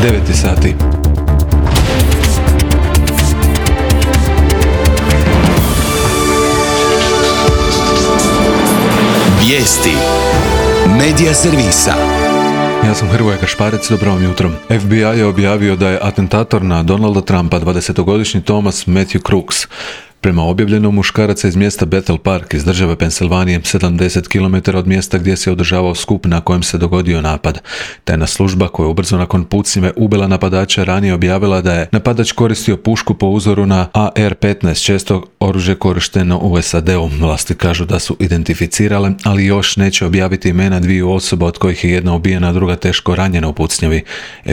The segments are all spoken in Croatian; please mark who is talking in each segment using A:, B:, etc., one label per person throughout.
A: 9 sati.
B: Vijesti Medija servisa.
A: Ja sam Hrvoje Kašparec, dobro vam jutro. FBI je objavio da je atentator na Donalda Trumpa 20-godišnji Thomas Matthew Crooks. Prema objavljenom, muškarac iz mjesta Bethel Park iz države Pensilvanije, 70 km od mjesta gdje se održavao skup na kojem se dogodio napad. Tajna služba, koja ubrzo nakon pucnjave ubila napadača, ranije objavila da je napadač koristio pušku po uzoru na AR-15, često oružje korišteno u SAD-u. Vlasti kažu da su identificirale, ali još neće objaviti imena dviju osoba, od kojih je jedna ubijena, a druga teško ranjena u pucnjavi.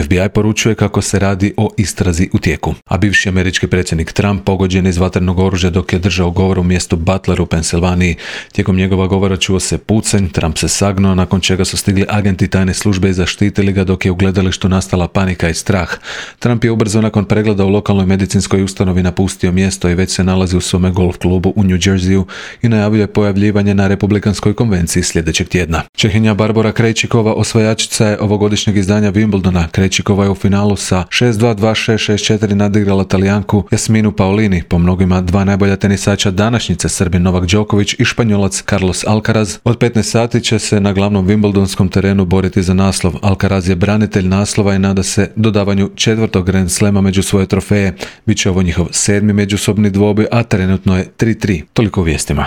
A: FBI poručuje kako se radi o istrazi u tijeku. A bivši američki predsjednik Trump pogođen iz vatrenog oružja dok je držao govor u mjestu Butler u Pensilvaniji. Tijekom njegova govora čuo se pucanj, Trump se sagnuo, nakon čega su stigli agenti tajne službe i zaštitili ga, dok je u gledalištu nastala panika i strah. Trump je ubrzo nakon pregleda u lokalnoj medicinskoj ustanovi napustio mjesto i već se nalazi u svome golf klubu u New Jerseyu i najavljuje pojavljivanje na republikanskoj konvenciji sljedećeg tjedna. Čehinja Barbora Krejčikova osvajačica je ovogodišnjeg izdanja Wimbledona. Krejčikova je u finalu sa 6-2, 2-6, 6-4 nadigrala Talijanku Jasminu Paolini, po mnogima dva najbolja tenisača današnjice, Srbin Novak Đoković i Španjolac Carlos Alcaraz. Od 15 sati će se na glavnom wimbledonskom terenu boriti za naslov. Alcaraz je branitelj naslova i nada se dodavanju 4. Grand Slema među svoje trofeje. Biće ovo njihov 7. međusobni dvoboj, a trenutno je 3-3. Toliko u vijestima.